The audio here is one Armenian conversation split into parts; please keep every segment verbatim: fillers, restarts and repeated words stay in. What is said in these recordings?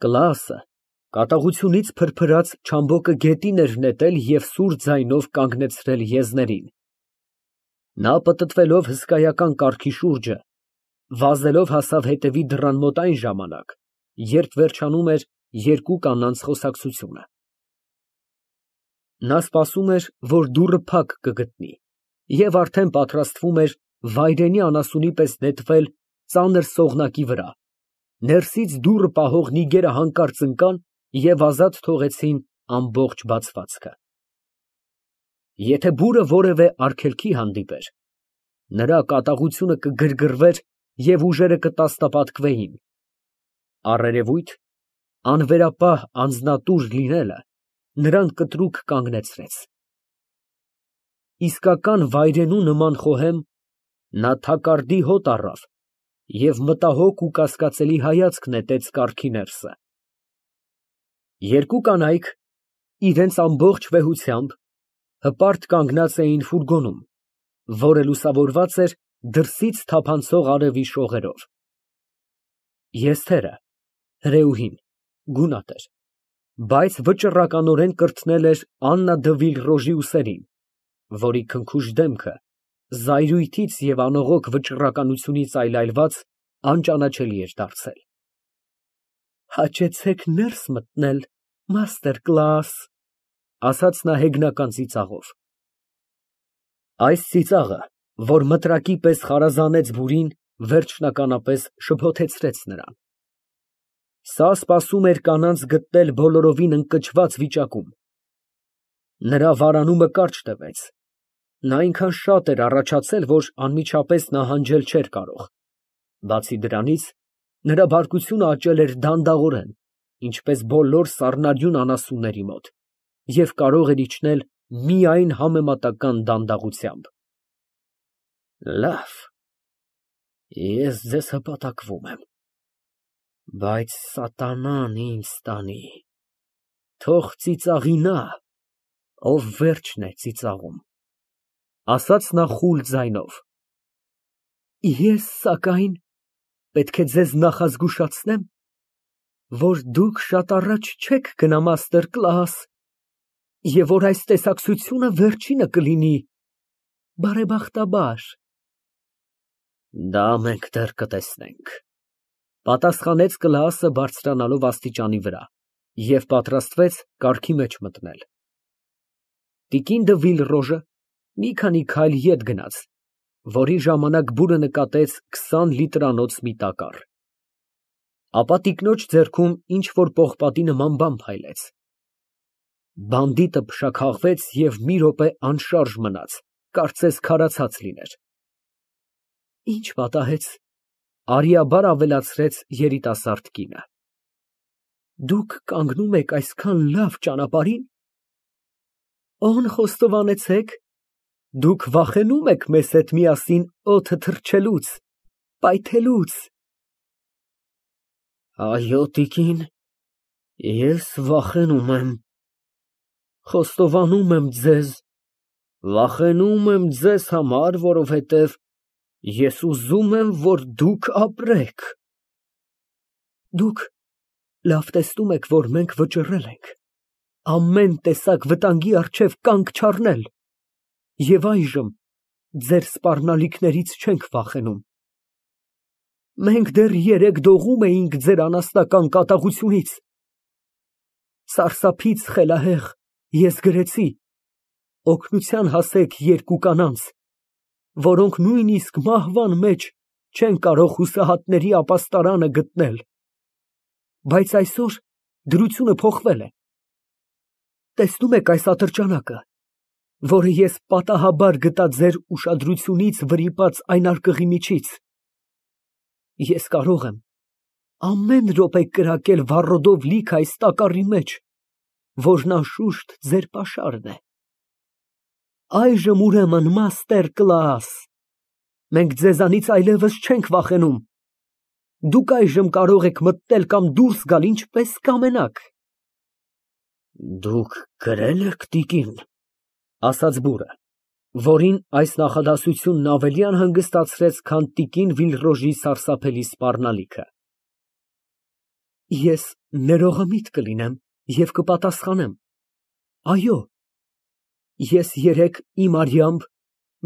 Կլասը կատաղությունից փրփրած չամբոկը գետին էր նետել և սուր ձայնով կանգնեցրել եզներին։ Նա պտտվելով հսկայական կառքի շուրջը, վազելով հասավ հետևի դռան մոտ այն ժամանակ, երբ վերջանում էր երկու կանանց խոսակցությունը։ Նա սպասում էր, որ դուռը փակ կգտնի, և արդեն պատրաստվում էր վայրենի անասունի պես նետվել ծանր սողնակի վրա, ներսից դուռը պահող նիգերը հանկարծ ընկան և ազատ թողեցին ամբողջ բացվածքը։ Եթե բուրը որևէ արգելքի հանդիպեր, նրա կատաղությունը կգրգռվեր և ուժերը կտասնապատկվեին, առերևույթ, անվերապահ անձնատուր լինելը նրան կտրուկ կանգնեցրեց։ Իսկական վայրենու նման խոհեմ, նա թակարդի հոտ առավ և մտահոգ ու կասկածելի հայացք նետեց կառքի ներսը։ Երկու կանայք իրենց ամբողջ վեհությամբ հպարտ կանգնած էին ֆուրգոնում, որը լուսավորված էր դրսից թափանցող արևի շողերով։ Եզթերը (հրեուհին) գունատ էր, բայց վճռականորեն կրթնել էր Աննա դը Վիլռոժի ուսերին, որի քնքուշ դեմքը, զայրույթից և անողոք վճռականությունից այլայլված, անճանաչելի էր դարձել։ Հաճեցեք ներս մտնել, մաստեր Կլաս, ասաց նա հեգնական ծիծաղով։ Այս ծիծաղը, որ մտրակի պես խարազանեց բուրին, վերջնականապես շփոթեցրեց նրան։ Սա սպասում էր կանանց գտնել բոլորովին ընկճված վիճակում։ Նրա վարանումը կարճ տևեց, նա այնքան շատ էր առաջացել, որ անմիջապես նահանջել չէր կարող, բացի դրանից, նրա բարկությունը աճել էր դանդաղորեն, ինչպես բոլոր սառնարյուն անասունների մոտ, և կարող էր իջնել միայն համեմատական դանդաղությամբ։ Լավ, ես ձեզ հպատակվում եմ, բայց սատանան ինձ տանի, թող ծիծաղի նա, ով վերջն է ծիծաղում, ասաց նա խուլ ձայնով։ Ես, սակայն, պետք է ձեզ նախազգուշացնեմ, որ դուք շատ առաջ չեք գնա, մաստեր Կլաս, և որ այս տեսակցությունը վերջինը կլինի, բարեբախտաբար։ Դա մենք դեռ կտեսնենք, պատասխանեց Կլաասը բարձրանալով աստիճանի վրա և պատրաստվեց կառքի մեջ մտնել։ Տիկին դը Վիլռոժը մի քանի քայլ ետ գնաց, որի ժամանակ բուրը նկատեց քսան լիտրանոց մի տակառ։ Ապա տիկնոջ ձեռքում ինչ֊որ պողպատի նման բան փայլեց։ Բանդիտը փշաքաղվեց և մի րոպե անշարժ մնաց, կարծես քարացած լիներ։ Ի՞նչ պատահեց, արիաբար ավելացրեց երիտասարդ կինը։ Դուք կանգնում եք այսքան լավ ճանապարհին։ Օն խոստովանեցեք, դուք վախենում եք մեզ հետ միասին օդը թռչելուց, պայթելուց։ Այո, տիկին, ես վախենում եմ, խոստովանում եմ ձեզ, վախենում եմ ձեզ համար, որովհետև ես ուզում եմ, որ դուք ապրեք։ Դուք լավ տեսնում եք, որ մենք վճռել ենք ամեն տեսակ վտանգի առջև կանգ չառնել և այժմ ձեր սպառնալիքներից չենք վախենում։ Մենք դեռ երեկ դողում էինք ձեր անասնական կատաղությունից։ Սարսափից խելահեղ ես գրեցի. օգնության հասեք երկու կանանց, որոնք նույնիսկ մահվան մեջ չեն կարող հուսահատների ապաստարանը գտնել, բայց այսօր դրությունը փոխվել է։ Տեսնում եք այս ատրճանակը, որը ես պատահաբար գտա ձեր ուշադրությունից վրիպած այն արկղի միջից։ Ես կարող եմ ամեն րոպե կրակել վառոդով լիքը այս տակառի մեջ, որն անշուշտ ձեր պաշարն է։ Այժմ ուրեմն, մաստեր Կլաս, մենք ձեզանից այլևս չենք վախենում։ Դուք այժմ կարող եք մտնել կամ դուրս գալ ինչպես կամենաք։ Դուք գրե՞լ եք, տիկին, ասաց բուրը, որին այս նախադասությունն ավելի անհանգստացրեց, քան տիկին Վիլռոժի սարսափելի սպառնալիքը։ Ես ներողամիտ կլինեմ և կպատասխանեմ. այո, ես երեկ իմ արյամբ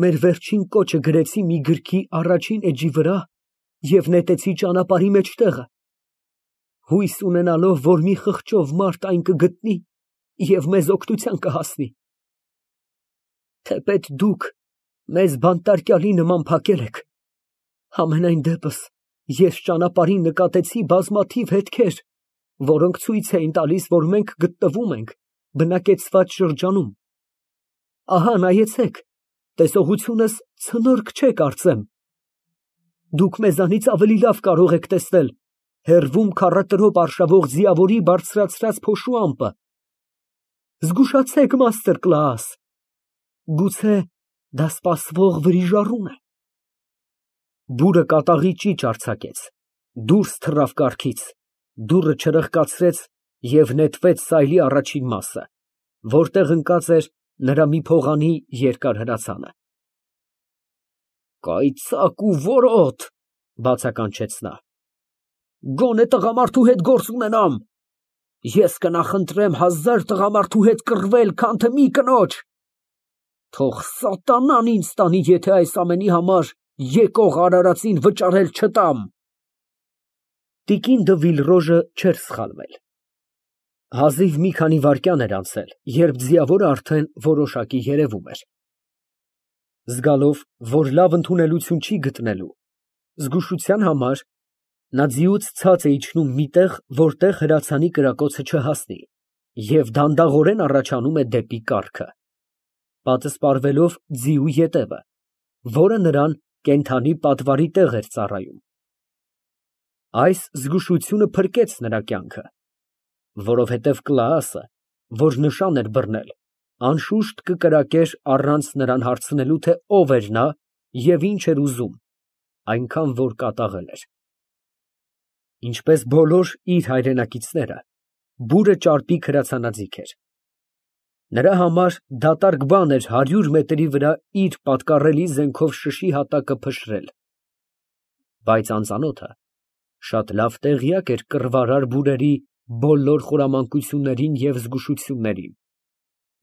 մեր վերջին կոչը գրեցի մի գրքի առաջին էջի վրա և նետեցի ճանապարհի մեջտեղը, հույս ունենալով, որ մի խղճով մարդ այն կգտնի և մեզ օգնության կհասնի։ Թեպետ դուք մեզ բանտարկյալի նման փակել եք, համենայն դեպս ես ճանապարհին նկատեցի բազմաթիվ հետքեր, որոնք ցույց էին տալիս, որ մենք գտնվում ենք բնակեցված շրջանում։ Ահա նայեցեք, տեսողությունս ցնորք չէ, կարծեմ։ Դուք մեզանից ավելի լավ կարող եք տեսնել հեռվում քառատրոպ արշավող ձիավորի բարձրացրած փոշու ամպը։ Զգուշացեք, գուցե դա սպասվող վրիժառու է։ Բուրը կատաղի ճիճ արձակեց, դուրս թռավ կառքից, դուռը չրխկացրեց և նետվեց սայլի առաջին մասը, որտեղ ընկած էր նրա մի փողանի երկար հրացանը։ Կայծակ ու որոտ, բացականչեց նա, գոնե տղամարդու հետ գործ ունենամ, ես կնախընտրեմ հազար տղամարդու հետ կռվել, քան թե մի կնոջ, թող սատանան ինձ տանի, եթե այս ամենի համար եկող արարածին վճարել չտամ։ Տիկին դը Վիլրոժը չէր սխալվել։ Հազիվ մի քանի վայրկյան էր անցել, երբ ձիավորը արդեն որոշակի երևում էր։ Զգալով, որ լավ ընդունելություն չի գտնելու, զգուշության համար նա ձիուց ցած է իջնում մի տեղ, որտեղ հրացանի կրակոցը չհասնի, և դանդաղորեն առաջանում է դեպի կառքը, պատսպարվելով ձիու ետևը, որը նրան կենդանի պատվարի տեղ էր ծառայում։ Այս զգուշությունը փրկեց նրա կյանքը, որովհետև Կլաասը, որ նշան էր բռնել, անշուշտ կկրակեր առանց նրան հարցնելու, թե ով էր նա և ինչ էր ուզում, այնքան որ կատաղել էր։ Ինչպես բոլոր իր հայրենակիցները, բուրը ճարպիկ հրացանաձիգ էր։ Նրա համար դատարկ բան էր հարյուր մետրի վրա իր պատկառելի զենքով շշի հատակը փշրել, բայց անծանոթը շատ լավ տեղյակ էր կռվարար բուրերի բոլոր խորամանկություններին և զգուշություններին,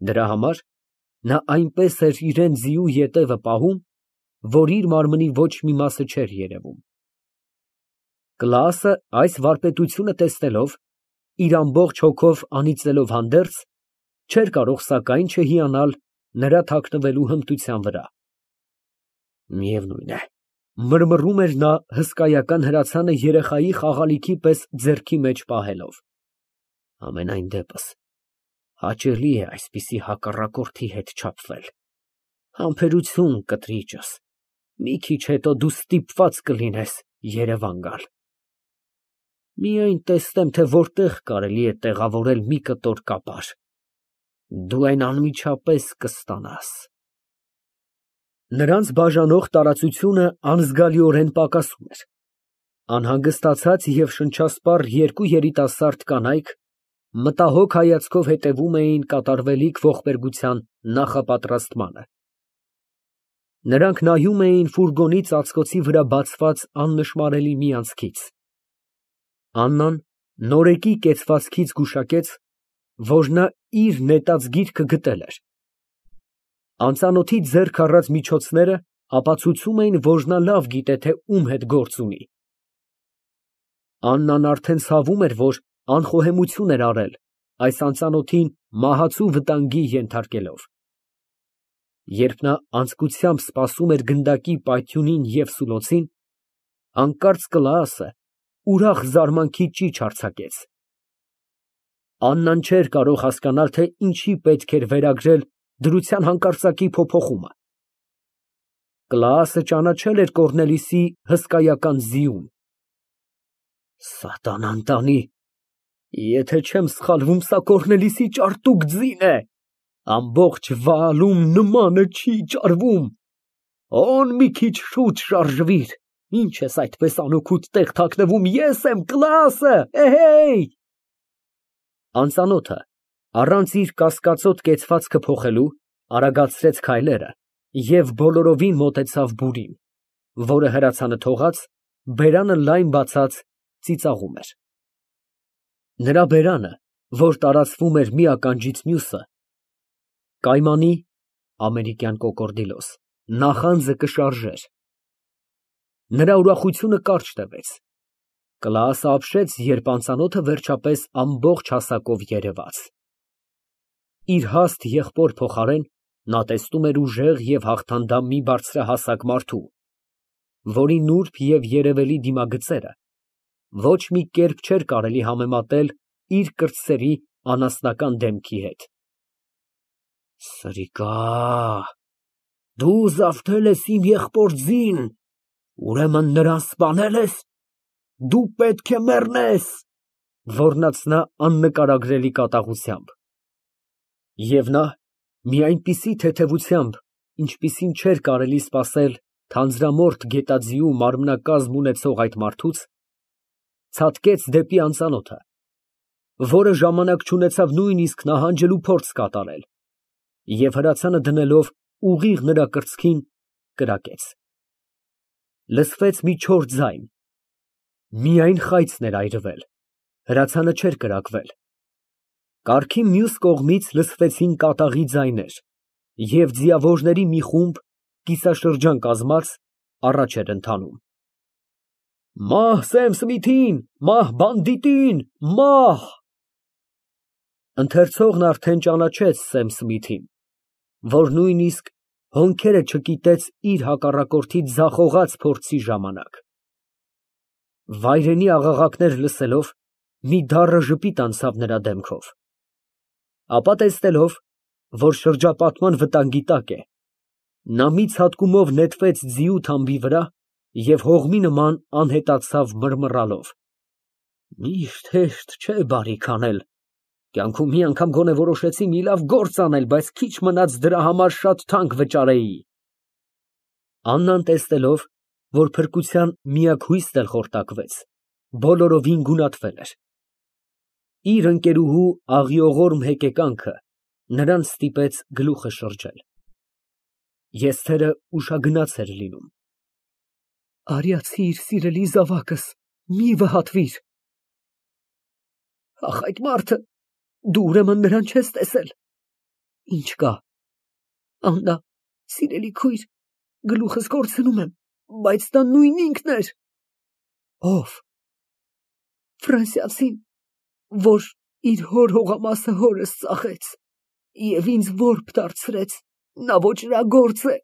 դրա համար նա այնպես էր իրան ձիու ետևը պահում, որ իր մարմնի ոչ մի մասը չէր երևում։ Կլաասը այս վարպետությունը տեսնելով, իր ամբողջ հոգով անիծելով հանդերձ, չէր կարող սակայն չհիանալ նրա թաքնվելու հմտության վրա։ Միևնույն է, մրմռում էր նա հսկայական հրացանը երեխայի խաղալիքի պես ձեռքի մեջ պահելով, համենայն դեպս հաճելի է այսպիսի հակառակորդի հետ չափվել։ Համբերություն, կտրիճս, մի քիչ հետո դու ստիպված կլինես Երևան գալ։ Միայն տեսնեմ, թե որտեղ կարելի է տեղավորել մի կտոր կապար, դու այն անմիջապես կստանաս։ Նրանց բաժանող տարածությունը անզգալիորեն պակասում էր։ Անհանգստացած և շնչասպառ երկու երիտասարդ կանայք մտահոգ հայացքով հետևում էին կատարվելիք ողբերգության նախապատրաստմանը։ Նրանք նայում էին ֆուրգոնի ծածկոցի վրա բացված աննշմարելի մի անցքից։ Աննան նորեկի կեցվածքից գուշակեց, որ նա իր նետած գիրքը գտել էր։ Անծանոթի ձեռք առած միջոցները ապացուցում էին, որ նա լավ գիտե, թե ում հետ գործ ունի։ Աննան արդեն ցավում էր, որ անխոհեմություն էր արել, այս անծանոթին մահացու վտանգի ենթարկելով։ Երբ նա անձկությամբ սպասում էր գնդակի պայթյունին և սուլոցին, հանկարծ Կլաասը ուրախ զարմանքի ճիչ արձակեց։ Աննան չէր կարող հասկանալ, թե ինչի պետք էր վերագրել դրության հանկարծակի փոփոխումը։ Կլաասը ճանաչել էր Կոռնելիուսի հսկայական ձիուն։ Սատանան տանի, եթե չեմ սխալվում, սա Կոռնելիուսի ճարտուկ ձին է, ամբողջ Վաալում նմանը չի ճարվում։ Օն մի քիչ շուտ շարժվիր, ինչ ես այդպես անօգուտ տեղ թաքնվում, ես եմ Կլաասը, էհեյ։ Անծանոթը, առանց իր կասկածոտ կեցվածքը փոխելու, արագացրեց քայլերը և բոլորովին մոտեցավ բուրին, որը հրացանը թողած, բերանը լայն բացած ծիծաղում էր։ Նրա բերանը, որ տարածվում էր մի ականջից մյուսը, կայմանի (ամերիկյան կոկորդիլոս) նախանձը կշարժեր։ Նրա ուրախությունը կարճ տևեց, Կլաասը ապշեց, երբ անծանոթը վերջապես ամբողջ հասակով երևաց։ Իր հաստ եղբոր փոխարեն նա տեսնում էր ուժեղ և հաղթանդամ մի բարձրահասակ մարդու, որի նուրբ և երևելի դիմագծերը ոչ մի կերպ չէր կարելի համեմատել իր կրտսերի անասնական դեմքի հետ։ Սրիկա, դու զավթել ես իմ եղբոր ձին, ուրեմն նրան սպանե՞լ ես, դու պետք է մեռնես, ոռնաց նա աննկարագրելի կատաղությամբ։ Եվ նա մի այնպիսի թեթևությամբ, ինչպիսին չէր կարելի սպասել թանձրամորթ գետաձիու մարմնակազմ ունեցող այդ մարդուց, ցատկեց դեպի անծանոթը, որը ժամանակ չունեցավ նույնիսկ նահանջելու փորձ կատարել, և հրացանը դնելով ուղիղ նրա կրծքին, կրակեց։ Լսվեց մի չոր ձայն, միայն խայծն էր այրվել, հրացանը չէր կրակվել։ Կառքի մյուս կողմից լսվեցին կատաղի ձայներ, և ձիավորների մի խումբ, կիսաշրջան կազմած, առաջ էր ընթանում։ Մահ Սեմ Սմիթին, մահ բանդիտին, մահ… Ընթերցողն արդեն ճանաչեց Սեմ Սմիթին, որ նույնիսկ հոնքերը չկիտեց իր հակառակորդի ձախողած փորձի ժամանակ։ Վայրենի աղաղակներ լսելով, մի դառը ժպիտ անցավ նրա դեմքով, ապա տեսնելով, որ շրջապատման վտանգի տակ է, նա մի ցատկումով նետվեց ձիու թամբի վրա և հողմի նման անհետացավ մռմռալով։ Միշտ հեշտ չէ բարիք անել, կյանքում մի անգամ գոնե որոշեցի մի լավ գործ անել, բայց քիչ մնաց դրա համար շատ թանկ վճարեի։ Աննան տեսնելով, որ փրկության միակ հույսն էլ խորտակվեց, բոլորովին գունատվել էր։ Իր ընկերուհու աղիողորմ հեկեկանքը նրան ստիպեց գլուխը շրջել։ Եզթերը ուշագնաց էր լինում։ Արյացիր, սիրելի զավակս, մի վհատվիր։ Ախ, այդ մարդը, դու ուրեմն նրան չես տեսել։ Ինչ կա։ Աննա, սիրելի քույր, գլուխս կորցնում եմ, բայց դա նույն ինքն էր։ Ո՞վ։ Ֆրանսիացին, որ իր հոր հողամասը հորս ծախեց և ինձ որբ դարձրեց, նա ոճրագործ է։